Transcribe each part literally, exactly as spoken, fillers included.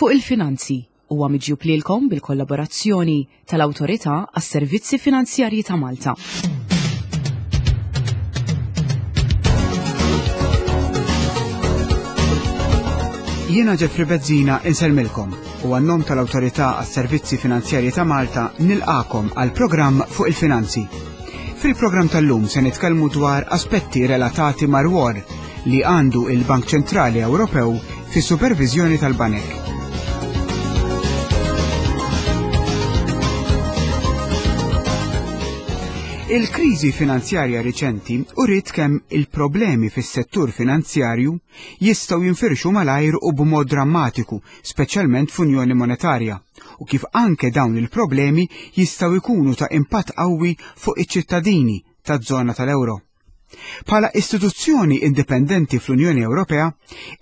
Fuq il-Finanzi huwa miġjub lilkom bil-kollaborazzjoni tal-Awtorità għas-Servizzi Finanzjarji ta' Malta. Jiena Jeffrey Bezzina insellmilkom u għan-nom tal-Awtorità għas-Servizzi Finanzjarji ta' Malta nilqakom għal programm fuq il-finanzi. Fil-programm tal-lum se nitkellmu dwar aspetti relatati mar-rwol li għandu il-Bank Ċentrali Ewropew fis-superviżjoni tal-banek. Il-kriżi finanzjarja riċenti uriet kemm il-problemi fis-settur finanzjarju jistgħu jinfirxu malajr u b'mod drammatiku, speċjalment f'Unjoni Monetarja, u kif anke dawn il-problemi jistgħu jkunu ta' impatt qawwi fuq iċ-ċittadini taż-żona tal-euro. Bħala istituzzjoni indipendenti fl-Unjoni Ewropea,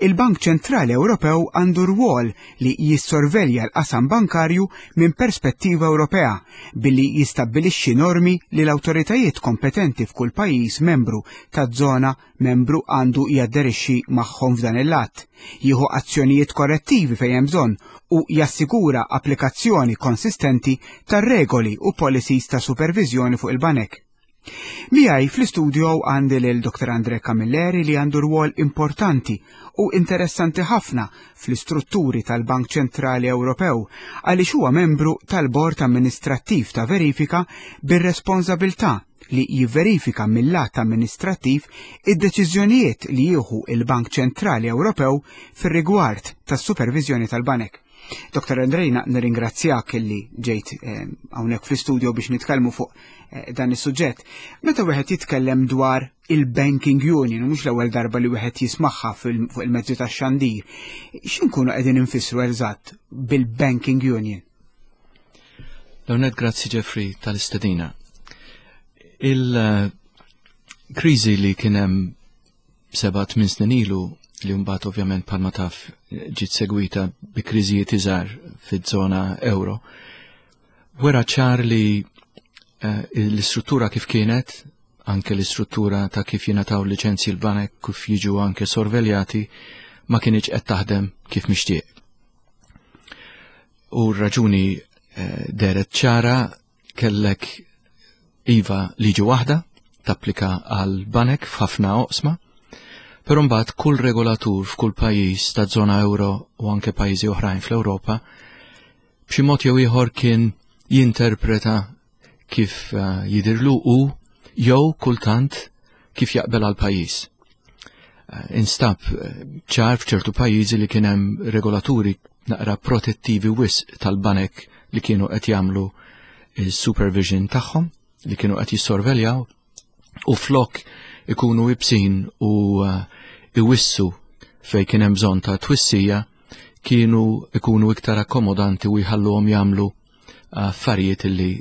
il-Bank Ċentrali Ewropew għandu rwol li jissorvelja l-qasam bankarju minn perspettiva Ewropea billi jistabbilixxi normi li l-awtoritajiet kompetenti f'kull pajjiż membru taż-żona membru għandu jadderixxi magħhom f'dan il-lat, jieħu azzjonijiet korrettivi fejn hemm bżonn u jassigura applikazzjoni konsistenti tar-regoli u policies ta' superviżjoni fuq il-banek. Miegħi fl-istudio għandi lil Doktor Andre Camilleri li għandu rwol importanti u interessanti ħafna fl-istrutturi tal-Bank Ċentrali Ewropew għaliex huwa membru tal-Bord Amministrattiv ta' Verifika bir-responsabilità li jivverifika mill-lat amministrattiv id-deċiżjonijiet li jieħu il-Bank Ċentrali Ewropew fir-rigward tas-superviżjoni tal-banek. Doktor Andrejna, nirringrazzjak illi ġejt hawnhekk fl-istudio biex nitkellmu fuq dan is-suġġett. Meta wieħed jitkellem dwar il-Banking Union, mhux l-ewwel darba li wieħed jismagħha fuq il-mezzi tax-xandir, x'inkunu qegħdin infissru eżatt bil-Banking Union? L-ewwel grazzi Jeffrey tal-istedina. Il-kriżi li kien hemm seba' tmien snin ilu, li mbagħad ovvjament bħalma taf ġiet segwita bi kriżijiet iżgħar fiż-żona euro, wera ċar li l-istruttura kif kienet, anke l-istruttura ta' kif jingħataw liċenzji l-banek, kif jiġu anke sorveljati, ma kienx qed taħdem kif mixtieq. U r-raġuni deret ċara, kellek iva liġi waħda tapplika għal banek f'ħafna oqsma, però mbagħad kull regolatur f'kull pajjiż ta' żona euro u anke pajjiżi oħrajn fl-Ewropa b'xi mod jew ieħor kien jinterpreta kif jidirlu u jew kultant kif jaqbel għal pajjiż. Instab ċar f'ċertu pajjiżi li kien hemm regolaturi naqra protettivi wisq tal-banek li kienu qed jagħmlu il-supervision tagħhom, li kienu qed jissorveljaw, u flok ikunu ibsin u iwissu fej kien hemm bżonn ta' twissija, kienu ikunu iktar akkomodanti u jħalluhom jagħmlu affarijiet illi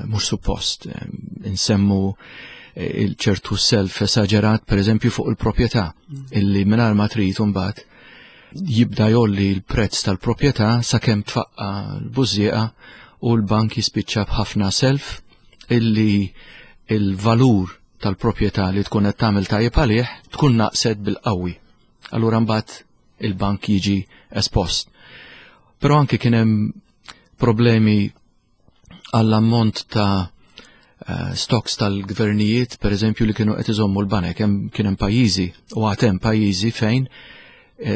mhux suppost. Insemmu il-ċertu self esaġerat, per eżempju, fuq il-proprjetà, illi mingħajr ma trid imbagħad jibda jolli l-prezz tal-proprjetà sakemm tfaqqa l-bużieqa u l-bank jispiċċa b'ħafna self illi il-valur tal-proprjetà li tkun qed tagħmel tajjeb għalih tkun naqset bil-qawwi. Allura mbagħad il-bank jiġi espost. Però anke kien hemm problemi għall-ammont ta' stocks tal-gvernijiet, per eżempju, li kienu qed iżommu l-banek. Kien hemm pajjiżi u għad hemm pajjiżi fejn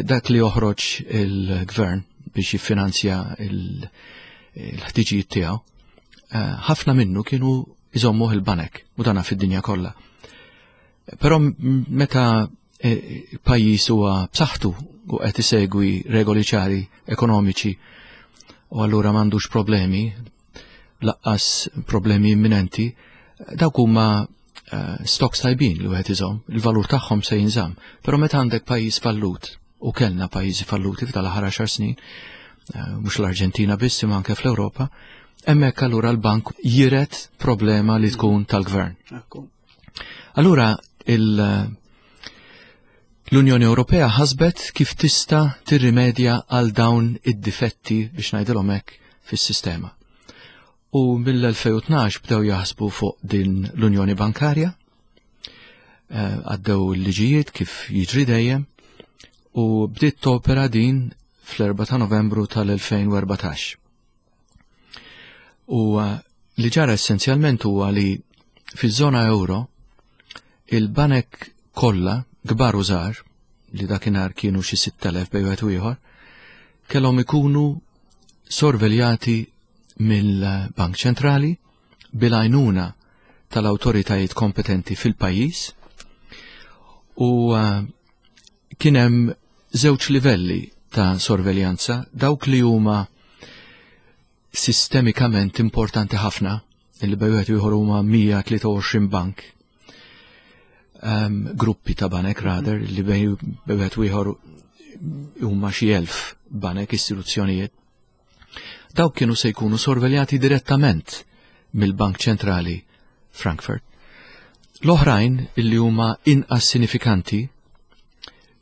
dak li joħroġ il-gvern biex jiffinanzja il-ħtiġijiet tiegħu, ħafna minnu kienu iżommuh il-banek, u dana fid-dinja kollha. Però meta pajjiż huwa b'saħħtu u qed isegwi regoli ċari ekonomiċi u allura m'għandux problemi, laqqas problemi imminenti, dawk huma stocks tajbin li wieħed iżomm, il-valur tagħhom se jinżamm. Però meta għandek pajjiż fallut, u kellna pajjiżi falluti f'dal-aħħar għaxar snin, mhux l-Arġentina biss imma anke fl-Ewropa, hemmhekk allura l-bank jiret problema li tkun tal-gvern. Allura l-Unjoni Ewropea ħasbet kif tista' tirrimedja għal dawn id-difetti biex ngħidilhom hekk fis-sistema. U mill-elfejn u tnax bdew jaħsbu fuq din l-Unjoni Bankarja, għaddew l-liġijiet kif jiġri dejjem, u bdiet topera din fl-erbgħa ta' Novembru tal-elfejn u erbatax. U li ġara essenzjalment huwa li fiż-żona euro il-banek kollha kbar u żgħar, li dakinhar kienu xi sitt elef bejn wieħed u ieħor, kellhom ikunu sorveljati mill-Bank Ċentrali bil-għajnuna tal-awtoritajiet kompetenti fil-pajjiż, u kien hemm żewġ livelli ta' sorveljanza, dawk li huma sistemikament importanti ħafna, illi bejn wieħed u ieħor huma mija tlieta u għoxrin bank, um, gruppi ta' banek rather, li bejn wieħed u ieħor huma xi elf banek istituzzjonijiet. Dawk kienu se jkunu sorveljati direttament mill-Bank Ċentrali Frankfurt. L-oħrajn illi huma inqas sinifikanti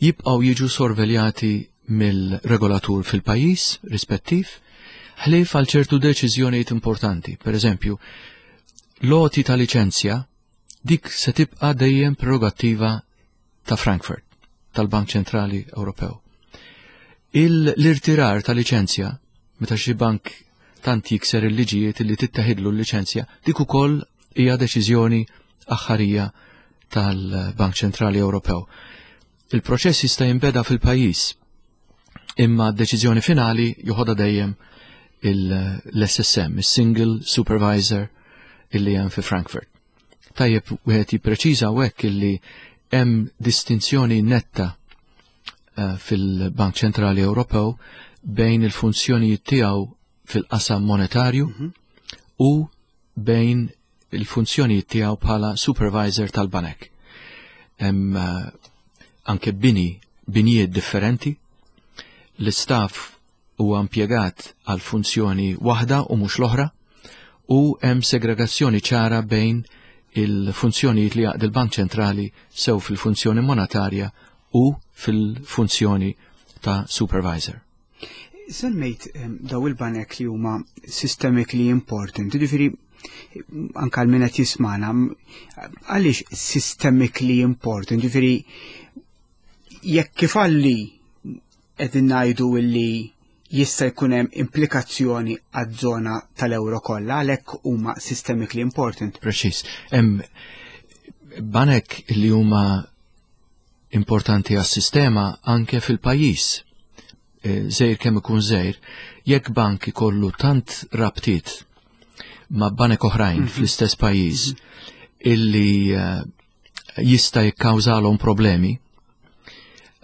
jibqgħu jiġu sorveljati mill-regolatur fil-pajjiż rispettiv, ħlief għal ċertu deċiżjonijiet importanti. Per eżempju, l-għoti ta' liċenzja dik se tibqa' dejjem prerogattiva ta' Frankfurt, tal-Bank Ċentrali Ewropew. Il-irtirar ta' liċenzja, meta xi bank tant jikser il-liġijiet li tittaħidlu l-liċenzja, dik ukoll hija deċiżjoni aħħarija tal-Bank Ċentrali Ewropew. Il-proċess jista' jinbeda fil-pajjiż, imma d-deċiżjoni finali joħodha dejjem l-S S M, il-Single Supervisor illi hemm fi Frankfurt. Tajjeb wieħed jippreċiża hawnhekk illi hemm distinzjoni netta, eh, fil-Bank Ċentrali Ewropew bejn il-funzjonijiet tiegħu fil-qasam monetarju Mhm. u bejn il-funzjonijiet tiegħu bħala supervisor tal-banek. Hemm, eh, anke bini, binijiet differenti, l-istaff huwa impjegat għal funzjoni waħda u mhux l-oħra, u hemm segregazzjoni ċara bejn il-funzjonijiet li jaqdi l-Bank Ċentrali sew fil-funzjoni monetarja u fil-funzjoni ta' supervisor. Semmejt, ehm, daw il-banek li huma systemically important, jiġifieri anke għal min qed jismana, għaliex systemically important, jiġifieri jekk ifalli qegħdin ngħidu illi jista' jkun hemm implikazzjoni għaż-żona tal-euro kollha, għalhekk huma systemically important. Preċiż. Hemm banek li huma importanti għas-sistema anke fil-pajjiż. E, żgħir kemm ikun żgħir, jekk bank ikollu tant rabtiet ma' banek oħrajn Mhm. fl-istess pajjiż illi, eh, jista' jikkawżalhom problemi,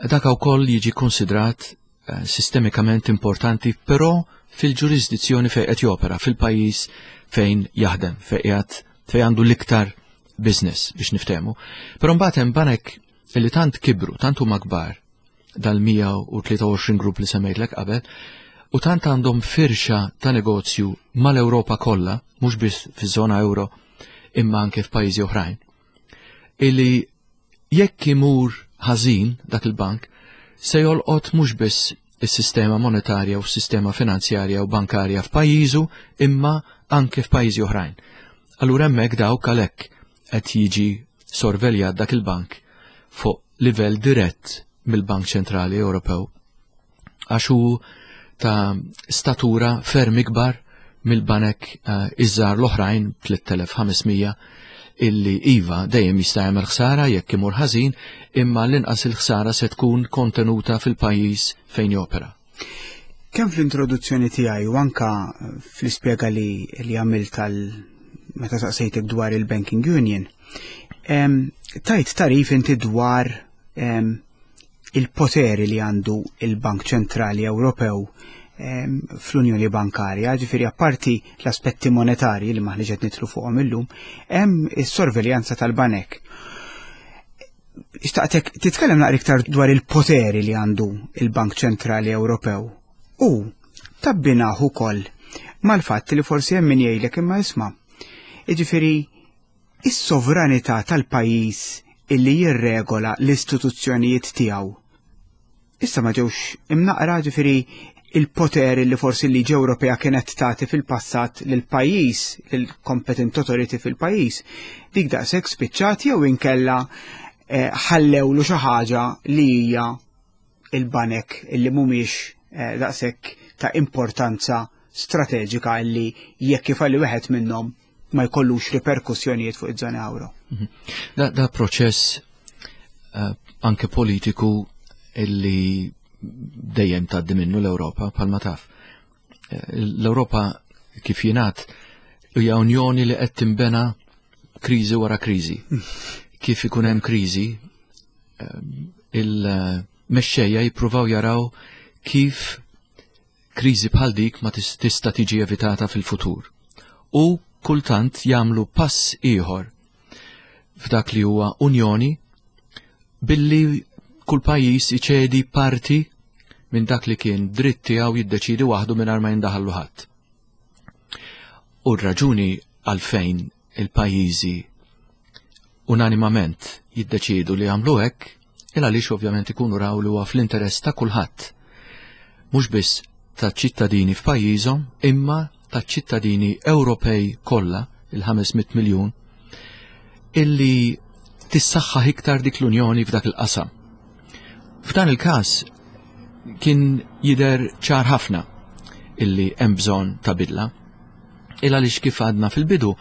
dak ukoll jiġi konsidrat, eh, sistemikament importanti, però fil-ġurisdizzjoni fejn qed jopera, fil-pajjiż fejn jaħdem, fejn qiegħed, fejn għandu l-iktar business biex niftehmu. Però mbagħad hemm banek illi tant kibru, tant huma kbar, dal-mija u tlieta u għoxrin grupp li semmejtlek qabel, u tant għandhom firxa ta' negozju mal-Ewropa kollha, mhux biss fiż-żona euro, imma anke f'pajjiżi oħrajn, illi jekk imur ħażin dak il-bank, se jolqot mhux biss is-sistema monetarja u s-sistema finanzjarja u bankarja f'pajjiżu, imma anke f'pajjiżi oħrajn. Allura hemmhekk dawk għalhekk qed jiġi sorveljat dak il-bank fuq livell dirett mill-Bank Ċentrali Ewropew, għax hu ta' statura ferm ikbar mill-banek, eh, iż-żgħar l-oħrajn tliet elef ħames mija illi iva dejjem jista' jagħmel ħsara jekk imur ħażin, imma l-inqas il-ħsara se tkun kontenuta fil-pajjiż fejn jopera. Kemm fl-introduzzjoni tiegħi u anka fl-ispjega li, li għamilt tal meta saqsejtek dwar il-Banking Union, em, tajt tarif inti dwar, em, il-poteri li għandu il-Bank Ċentrali Ewropew, em, fl-Unjoni Bankarja, ġifieri apparti l-aspetti monetarji li maħniex qed nidħlu fuqhom illum, hemm is-sorveljanza tal-banek. Xtaqtek titkellem naqra iktar dwar il-poteri li għandu il-Bank Ċentrali Ewropew u tabbinaħ ukoll mal-fatt li forsi hemm min jgħidlek imma isma', jiġifieri is-sovranità tal-pajjiż illi jirregola l-istituzzjonijiet tiegħu. Issa ma ġewx imnaqra, ġifieri il-poter li forsi l-liġi Ewropea kienet tagħti fil-passat lil pajjiż, lil competent authority fil-pajjiż, dik daqshekk spiċċat jew inkella, eh, ħallewlu xi ħaġa li hija il-banek illi mhumiex eh, daqshekk ta' importanza strateġika li jekk ifalli wieħed minnhom ma jkollux riperkussjonijiet fuq iż-żona euro. Mhm. Da, da proċess uh, anke politiku illi dejjem tgħaddi minnu l-Ewropa bħalma taf. Eh, L-Ewropa, kif jingħad, hija unjoni li qed tinbena kriżi wara kriżi. Kif ikun hemm kriżi, eh, il-mexxejja jippruvaw jaraw kif kriżi bħal dik ma tista' tiġi evitata fil-futur. U kultant jagħmlu pass ieħor f'dak li huwa unjoni billi kull pajjiż iċedi parti minn dak li kien dritt tiegħu jiddeċidi waħdu mingħajr ma jindaħallu ħadd. U r-raġuni għalfejn il-pajjiżi unanimament jiddeċidu li jagħmlu hekk il għaliex ovvjament ikunu raw li huwa fl-interess ta' kulħadd. Mhux biss ta' ċittadini f'pajjiżhom, imma ta' ċittadini Ewropej kollha, il-ħames mitt miljun, illi tissaħħaħ iktar dik l-Unjoni f'dak il-qasam. F'dan il-każ kien jidher ċar ħafna illi hemm bżonn ta' bidla. Il għaliex, kif għadna fil-bidu,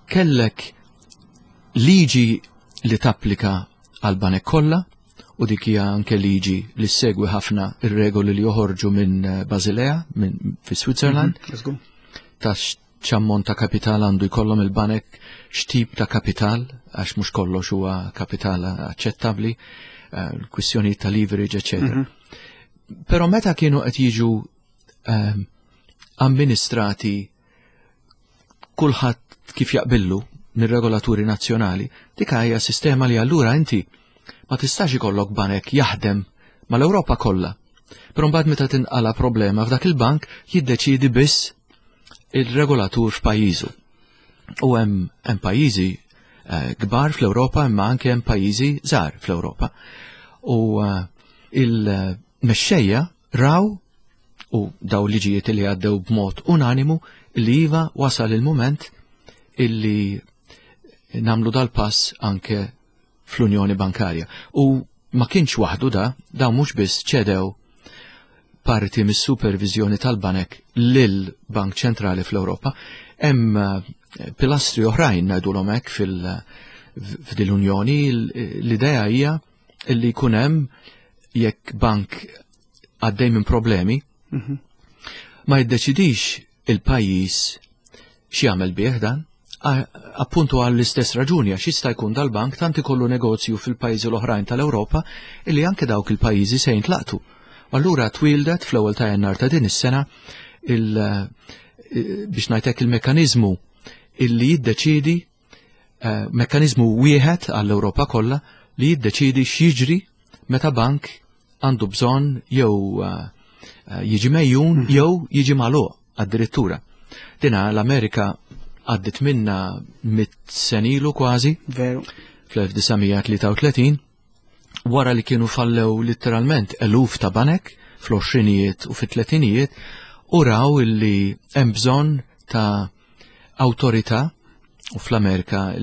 kellek liġi li tapplika għal banek kollha, u dik hija anke liġi li segwi ħafna ir-regoli li joħorġu minn Basilea, minn fi Switzerland, mm -hmm. ta' x'ammont ta' kapital għandu jkollhom il-banek, x'tip ta' kapital, għax mhux kollox huwa kapital aċċettabbli, eh, l-kwistjoni ta' leverage, eċċetera. Mm -hmm. Però meta kienu qed jiġu um, amministrati kulħadd kif jaqbillu mir-regolaturi nazzjonali, dik hija sistema li allura inti ma tistax ikollok banek jaħdem mal-Ewropa kollha. Però mbagħad meta tinqala problema f'dak il-bank, jiddeċidi biss il-regolatur f'pajjiżu. U hemm hemm pajjiżi eh, kbar fl-Ewropa, imma anke hemm pajjiżi żgħar fl-Ewropa. U eh, il-mexxejja raw, u daw liġijiet li għaddew b'mod unanimu, li iva, wasal il-moment illi nagħmlu dal-pass anke fl-Unjoni Bankarja. U ma kienx waħdu da, daw mhux biss ċedew parti mis-supervizjoni tal-banek lil Bank Ċentrali fl-Ewropa, hemm eh, pilastri oħrajn, ngħidulhom hekk, fil f'dil-Unjoni. L-idea hija illi jkun hemm, jekk bank għaddej minn problemi, Mhm. ma jiddeċidix il-pajjiż x'jagħmel bih dan, a- appuntu għall-istess raġuni, għax jista' jkun dal-bank tant ikollu negozju fil-pajjiżi l-oħrajn tal-Ewropa illi anke dawk il-pajjiżi se jintlaqtu. Allura twildet fl-ewwel ta' Jannar ta' din is-sena il eh, biex ngħidlek il-mekkaniżmu illi jiddeċidi, eh, mekkaniżmu wieħed għall-Ewropa kollha li jiddeċidi x'jiġri meta bank għandu bżonn jew eh, eh, jiġi megħjun jew jiġi magħluq addirittura. Dina l-Amerika għaddit minna mitt sena ilu kważi, Veru. fl-elf disa' mija tlieta u tletin, wara li kienu fallew literalment eluf ta' banek fl-għoxrinijiet u fit-tletinijiet, u raw illi hemm bżonn ta' awtorità, u fl-Amerika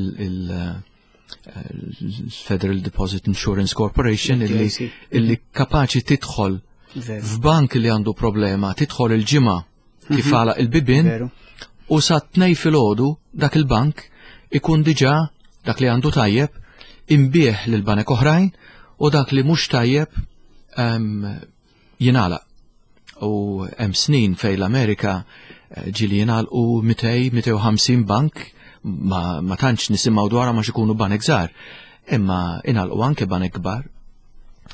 il-Federal Deposit Insurance Corporation illi, F D I C. illi kapaċi tidħol Veru. f'bank li għandu problema, tidħol il-Ġimgħa kif għalaq il-bibien Veru. u sa tnejn filgħodu dak il-bank ikun diġà dak li għandu tajjeb inbiegħ lil banek oħrajn u dak li mhux tajjeb em, jingħalaq. U hemm snin fejn l-Amerika eh, ġieli jingħalqu mitejn, mitejn u ħamsin bank, ma, ma tantx nisimgħu dwarha ma ikunu banek żgħar, imma ingħalqu anke banek kbar.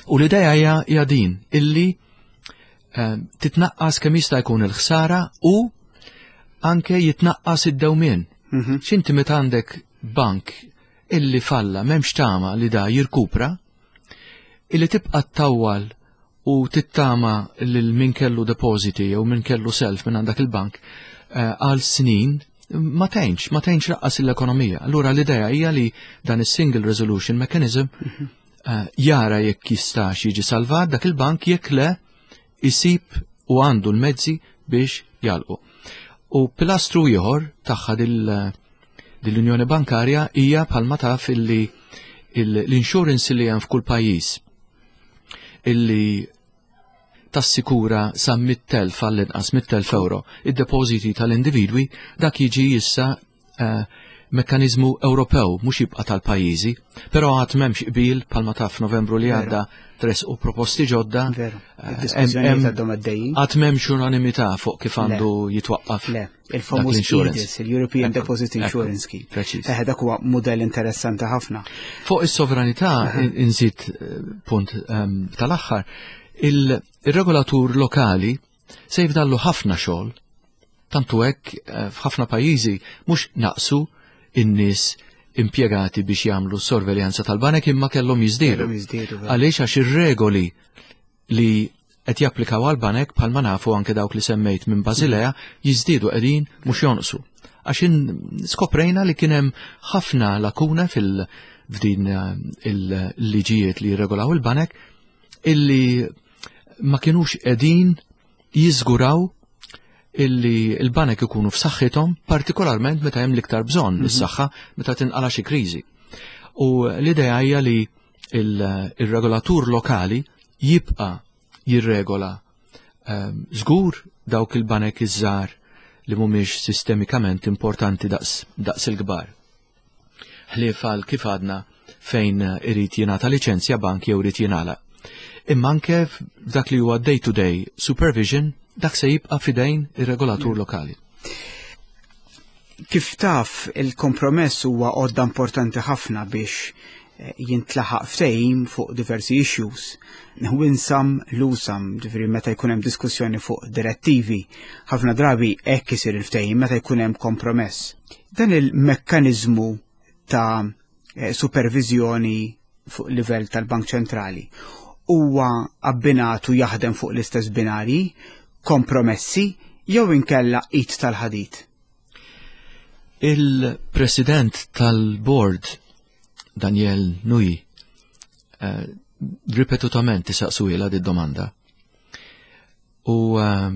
U l-idea hija hija din illi eh, titnaqqas kemm jista' jkun il-ħsara u anke jitnaqqas id-dewmien. Mhm. X'inti meta għandek bank illi falla, m'hemmx tama li da jirkupra, illi tibqa' ttawwal u tittama lil min kellu depositi jew min kellu self minn għandak il-bank eh, għal snin, ma tgħinx, ma tgħinx lanqas l-ekonomija. Allura l-idea hija li dan is-Single Resolution Mechanism eh, jara jekk jistax jiġi salvat dak il-bank, jekk le isib u għandu l-mezzi biex jagħlqu. U pilastru ieħor tagħha dil- dil-Unjoni Bankarja hija, bħalma taf, illi il- l-insurance li hemm f'kull pajjiż illi Tassikura sa mitt elf, għall-inqas mitt elf euro, id-depożiti tal-individwi, dak jiġi issa eh, mekkanizmu Ewropew, mhux jibqa' tal-pajjiżi, però għad m'hemmx qbil. Bħalma taf, Novembru li għadda tressqu proposti ġodda. Veru, Eh, id-diskussjonijiet hemm- għadhom għaddejjin. Għad m'hemmx unanimità fuq kif għandu jitwaqqaf Le, dak il-famuż l-insurance. E D I S, il-European Ekku, Deposit ekku, Insurance Scheme. Preċiż. Eh, dak huwa modell interessanti ħafna. Fuq is-sovranità, in- inżid eh, punt ehm, tal-aħħar, il- il-regolatur lokali se jifdallu ħafna xogħol, tantu hekk eh, f'ħafna pajjiżi mhux naqsu in-nies impjegati biex jagħmlu sorveljanza tal-banek, imma kellhom jiżdiedu. Kellhom jiżdiedu, veru. Għaliex? Għax ir-regoli li qed japplikaw għal-banek, bħalma nafu anke dawk li semmejt minn Basilea, jiżdiedu qegħdin, mhux jonqsu. Għax in- skoprejna li kien hemm ħafna lakuna fil f'din eh, il-liġijiet li jirregolaw il-banek illi ma kienux qegħdin jiżguraw illi il-banek ikunu f'saħħithom, partikolarment meta hemm l-iktar bżonn is-saħħa, meta tinqala xi kriżi. U l-idea hija li il- il-regolatur lokali jibqa' jirregola ehm, żgur dawk il-banek iż-żgħar li mhumiex sistemikament importanti daqs, daqs il-kbar. Ħlief għal, kif għadna, fejn irid jingħata liċenzja bank jew irid jingħalaq. Imma anke f'dak li huwa day-to-day supervision, dak se jibqa' fidejn ir-regolatur lokali. Kif taf, il-kompromess huwa għodda importanti ħafna biex eh, jintlaħaq ftehim fuq diversi issues. Win some, lose some, ġifieri meta jkun hemm diskussjoni fuq direttivi, ħafna drabi hekk isir il-ftehim meta jkun hemm kompromess. Dan il-mekkaniżmu ta' eh, supervizjoni fuq livell tal-Bank Ċentrali huwa abbinatu jaħdem fuq l-istess binari, kompromessi jew inkella id tal-ħadid? Il-president tal-board, Daniel Nui, eh, ripetutament isaqsuhielha di domanda. U eh,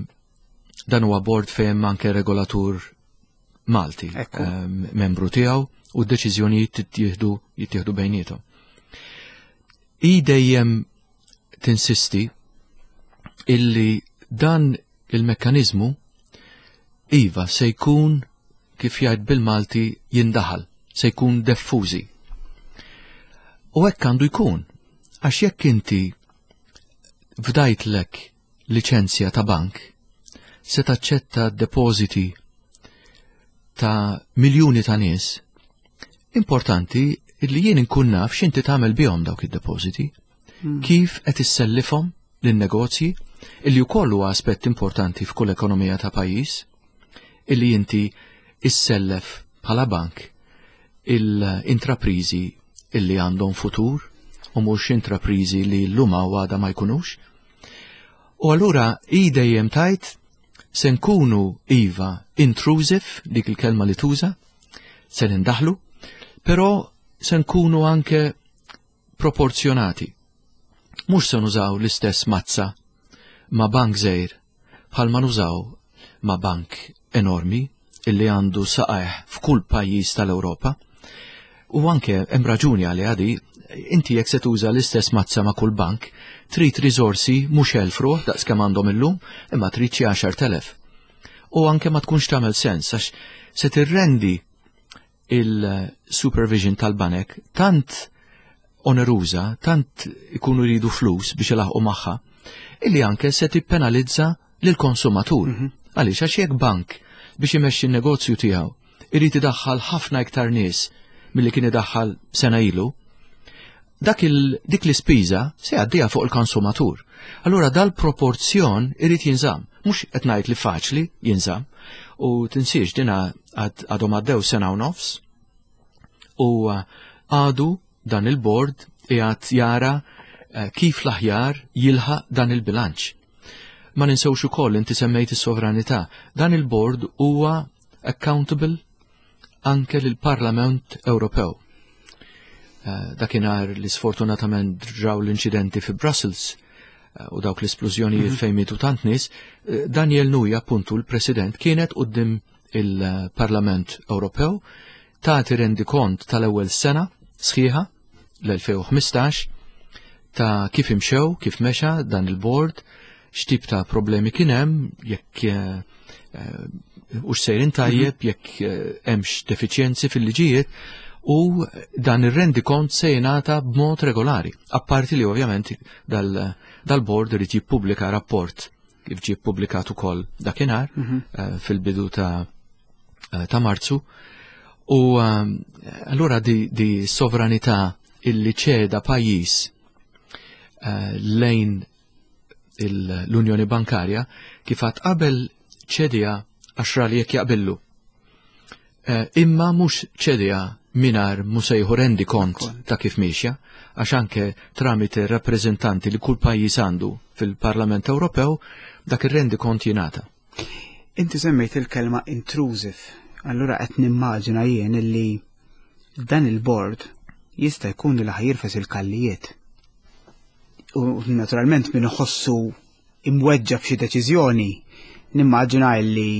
dan huwa board fejn anke regolatur Malti, Ekku. eh, membru tiegħu, u d-deċiżjonijiet jittieħdu jittieħdu bejniethom. I dejjem tinsisti illi dan il-mekkanizmu iva se jkun, kif jgħid bil-Malti, jindaħal, se jkun diffużi. U hekk għandu jkun, għax jekk inti fdajtlek liċenzja ta' bank, se taċċetta depositi ta' miljuni ta' nies, importanti illi jien inkun naf x'inti tagħmel bihom dawk id-depositi, kif qed issellifhom lin-negozji, illi wkoll huwa aspett importanti f'kull ekonomija ta' pajjiż, illi inti issellef bħala bank il-intraprizi illi għandhom futur u mhux intraprizi li llum u għada ma jkunux. U allura i dejjem tgħid se nkunu iva intrusive, dik il-kelma li tuża, se nindaħlu, però se nkunu anke proporzjonati. Mhux se nużaw l-istess mazza ma' bank żgħir bħalma nużaw ma' bank enormi illi għandu saqajh f'kull pajjiż tal-Ewropa. U anke hemm raġuni għal għadi, inti jekk se tuża l-istess mazza ma' kull bank, trid riżorsi mhux elf ruħ daqs kemm għandhom illum, imma trid xi għaxart elef. U anke ma tkunx tagħmel sens għax se tirrendi il-supervision tal-banek tant oneruża, tant ikunu jridu flus biex ilaħqu magħha, illi anke se tippenalizza lill-konsumatur. Għaliex? Għax jekk bank biex imexxi n-negozju tiegħu irid idaħħal ħafna iktar nies milli kien idaħħal sena ilu, dak il, dik l-ispiża se jgħaddiha fuq il-konsumatur. Allura dal-proporzjon irid jinżamm. Mhux qed ngħid li faċli jinżamm, u tinsiex dina għadhom għaddew sena u nofs u uh, għadu dan il-board qiegħed jara eh, kif l-aħjar jilħaq dan il-bilanċ. Ma ninsewx ukoll, inti semmejt is-sovranità, dan il-board huwa accountable anke lill-Parlament Ewropew. Eh, Dakinhar li sfortunatament ġraw l-inċidenti fi Brussels eh, u dawk l-esplużjonijiet fejn mietu tant nies, eh, Daniel Nui, appuntu l-President, kienet quddiem il-Parlament Ewropew tagħti rendikont tal-ewwel sena sħiħa, l-elfejn u ħmistax, ta' kif imxew, kif mexa dan il-board. x'tip ta' problemi kien hemm, jekk eh, hux sejrin tajjeb, mhm. jekk hemmx defiċjenzi fil-liġijiet, u dan ir-rendikont se jingħata b'mod regolari. Apparti li ovvjament dal-board irid jippubblika rapport kif ġie ppubblikat ukoll dakinhar mhm. eh, fil-bidu ta' eh, ta' Marzu. U eh, allura di, di sovranità illi ċeda pajjiż lejn l-Unjoni Bankarja kif għad qabel ċedieha għax ra li jekk jaqbillu. Imma mhux ċedieha mingħajr mhu se jieħu rendikont ta' kif miexja, għax anke tramite rappreżentanti li kull pajjiż għandu fil-Parlament Ewropew dak ir-rendikont jingħata. Inti semmejt il-kelma intrusive, allura qed nimmaġina jien illi dan il-board jista' jkun li ħa jirfes il-kallijiet. U naturalment min iħossu imweġġa f'xi deċiżjoni, nimmaġina illi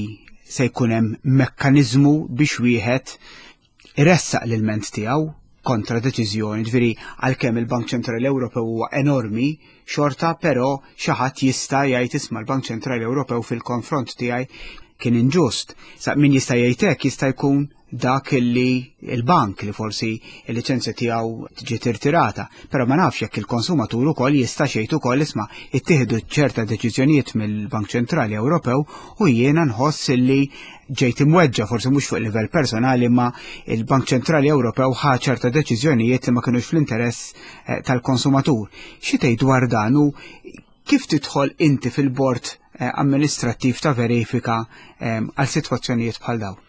se jkun hemm mekkaniżmu biex wieħed iressaq l-ilment tiegħu kontra deċiżjoni, ġifieri għalkemm il-Bank Ċentrali Ewropew huwa enormi, xorta però xi ħadd jista' jgħid isma' l-Bank Ċentrali Ewropew fil-konfront tiegħi kien inġust. Sa min jista' jgħid hekk jista' jkun dak li il-bank li forsi il-liċenzja tiegħu ġiet irtirata, però ma nafx jekk il-konsumatur ukoll jista' xejn ukoll isma' ittieħdu ċerta deċiżjonijiet mill-Bank Ċentrali Ewropew u jiena nħoss li ġejt imweġġa forsi mhux fuq livell personali ma il-Bank Ċentrali Ewropew ħa ċerta deċiżjonijiet li ma kinux fl-interess eh, tal-konsumatur. Xi tgħid dwar dan u kif tidħol inti fil-bord eh, amministrattiv ta' verifika eh, għal sitwazzjonijiet bħal dawn?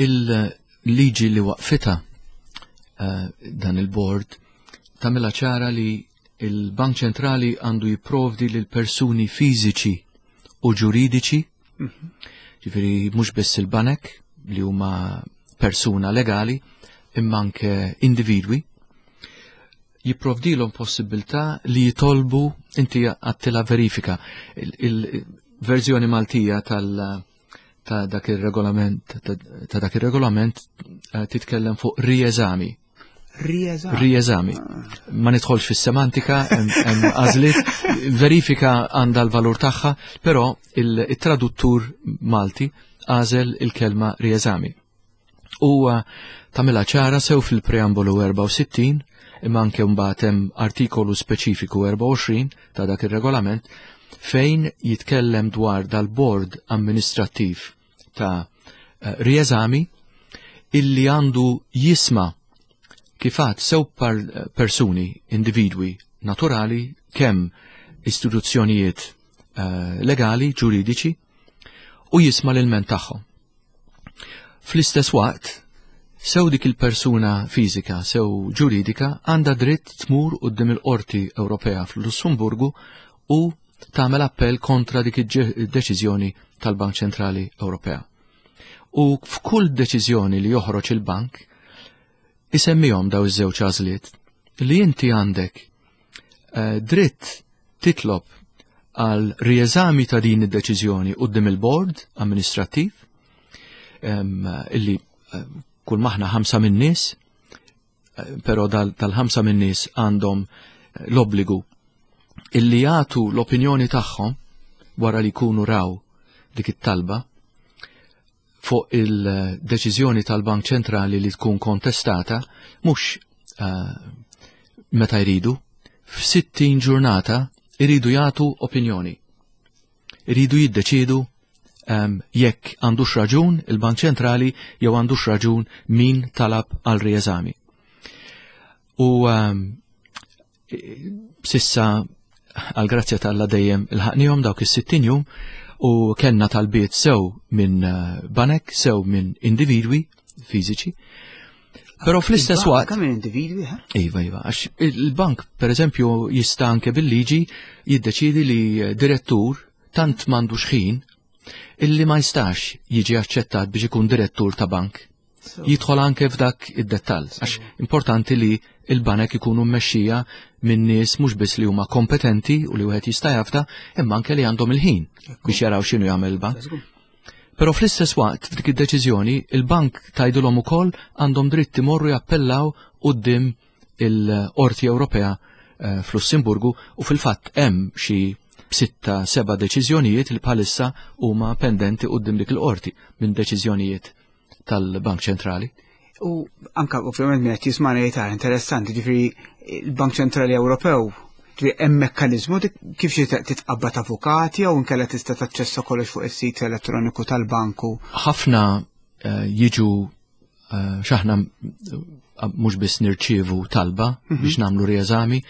Il-liġi li waqfita dan il-bord tagħmilha ċara li il-Bank Ċentrali għandu jipprovdi lil persuni fiżiċi u ġuridiċi, ġifieri mhux biss il-banek li huma persuna legali, imma anke individwi, jipprovdilhom possibilità li jitolbu inti għattila verifika. Il-verżjoni Maltija tal- ta' dak il-regolament ta' dak il-regolament eh, titkellem fuq rieżami. Rieżami. Rieżami. Ma nidħolx fis-semantika, hemm għażliet, verifika għandha l-valur tagħha, però il-traduttur Malti għażel il-kelma rieżami. U tagħmilha ċara sew fil-preambolu erbgħa u sittin imma anke mbagħad hemm artikolu speċifiku erbgħa u għoxrin ta' dak ir-regolament fejn jitkellem dwar dal-bord amministrattiv ta' eh, rieżami illi għandu jisma' kifat sew par persuni, individwi naturali, kemm istituzzjonijiet uh, legali, ġuridiċi, u jisma' l-ilment tagħhom. Fl-istess waqt, sew dik il-persuna fiżika, sew ġuridika, għandha dritt tmur quddiem il-Qorti Ewropea fl-Lussemburgu u tagħmel appell kontra dik id-deċiżjoni tal-Bank Ċentrali Ewropea. U f'kull deċiżjoni li joħroġ il-bank, isemmihom daw iż-żewġ għażliet li inti għandek eh, dritt titlob għal rieżami ta' din id-deċiżjoni quddiem il-bord amministrattiv illi eh, kull maħna ħamsa minn nies, eh, però dal-ħamsa minn nies għandhom l-obbligu illi jagħtu l-opinjoni tagħhom wara li jkunu raw dik it-talba fuq il-deċiżjoni tal-Bank Ċentrali li tkun kontestata mhux uh, meta jridu, f'sittin ġurnata iridu jagħtu opinjoni. Iridu jiddeċidu um, jekk għandux raġun il-Bank Ċentrali jew għandux raġun min talab għal rieżami. U um, s'issa għal grazzja t'Alla dejjem ilħaqnihom dawk is-sittin jum u kellna talbiet sew minn eh, banek, sew minn individwi fiżiċi. Però fl-istess waqt. Kemm individwi, ha? Iva, iva, għax il-bank, per eżempju, jista' anke bil-liġi jiddeċidi li direttur tant m'għandux ħin illi ma jistax jiġi aċċettat biex ikun direttur ta' bank. Jidħol anke f'dak id-dettall, għax importanti li il-banek ikunu mmexxija minn nies mhux biss li huma kompetenti u li wieħed jista' jafda, imma anke li għandhom il-ħin biex jaraw x'inhu jagħmel il-bank. Però fl-istess waqt f'dik id-deċiżjoni il-bank tgħidulhom ukoll għandhom dritt imorru jappellaw quddiem il-Qorti Ewropea eh, fl-Lussemburgu u fil-fatt hemm xi b'sitta seba' deċiżjonijiet li bħalissa huma pendenti quddiem dik il-qorti minn deċiżjonijiet tal-Bank Ċentrali. U anka ovvjament minn qed jismagħna jgħid interessanti, ġifieri il-Bank Ċentrali Ewropew ġifieri hemm mekkaniżmu kif xi titqabbad avukati jew inkella tista' taċċessa kollox fuq is-sit elettroniku tal-banku. Ħafna eh, jiġu eh, x'aħna mhux biss nirċievu talba mhm. biex nagħmlu rieżami,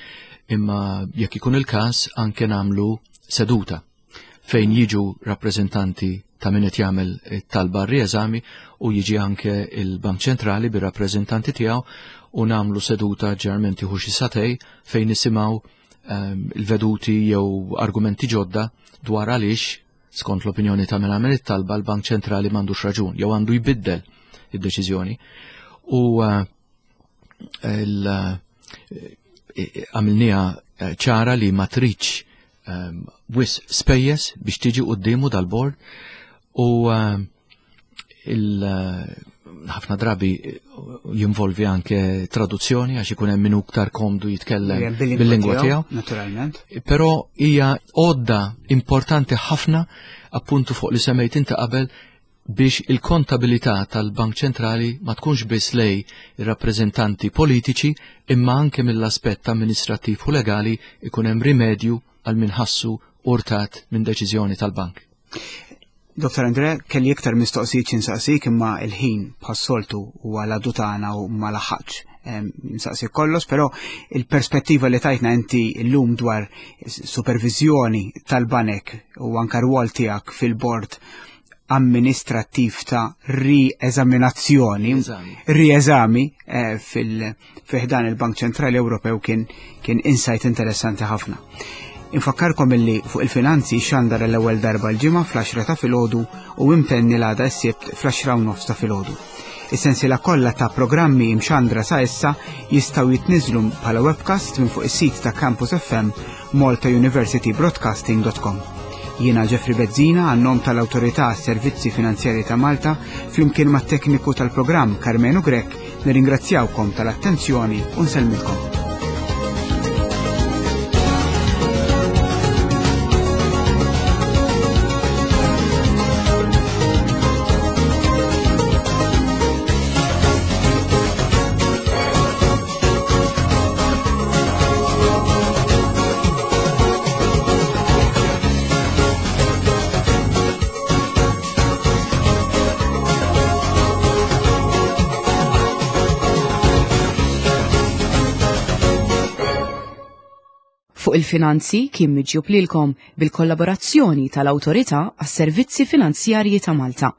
imma jekk ikun il-każ anke nagħmlu seduta fejn jiġu rappreżentanti ta' min qed jagħmel talba rieżami u jiġi anke il-Bank Ċentrali bir-rappreżentanti tiegħu u nagħmlu seduta ġeneralment tieħu xi sagħtejn fejn nisimgħu ehm, il-veduti jew argumenti ġodda dwar għaliex skont l-opinjoni ta' min għamel it-talba l-Bank Ċentrali m'għandux raġun jew għandu jbiddel id-deċiżjoni. U eh, għamilniha eh, ċara li ma tridx ehm, wisq spejjeż biex tiġi quddiemu dal-bord u eh, ħafna drabi jinvolvi anke traduzzjoni għax ikun hemm min iktar komdu jitkellem bil-lingwa tiegħu. Naturalment. Però hija għodda importanti ħafna appuntu fuq li semmejt inti qabel biex il-kontabilità tal-Bank Ċentrali ma tkunx biss lejn ir-rappreżentanti politiċi imma anke mill-aspett amministrattiv u legali ikun hemm rimedju għal min ħassu urtat minn deċiżjoni tal-bank. Dottor Andre, kelli iktar mistoqsijiet nsaqsik imma il-ħin bħas-soltu huwa l tagħna u ma laħaqx nsaqsi kollox, però il-perspettiva li tajtna inti llum dwar supervizjoni tal-banek u anka rwol tiegħek fil-bord amministrattiv ta' rieżaminazzjoni, rieżami eh, fil-ħdan il-Bank Ċentrali Ewropew kien kien insight interessanti ħafna. Infakkarkom illi fuq il-finanzi xandar l-ewwel darba l-ġimgħa fl-għaxra ta' filgħodu u imtenni l-għada s-sibt fl-għaxra u nofs ta' filgħodu. Is-sensiela kollha ta' programmi imxandra sa issa jistgħu jitniżlu bħala webcast minn fuq is-sit ta' Campus F M malta university broadcasting dot com. Jiena Jeffrey Bezzina għan-nom tal-Awtorità Servizzi Finanzjari ta' Malta flimkien mat-tekniku tal-programm Carmenu Grech nirringrazzjawkom tal-attenzjoni u nsellmilkom. Fuq il-finanzi kien miġjub lilkom bil-kollaborazzjoni tal-Awtorità għas-Servizzi Finanzjarji ta' Malta.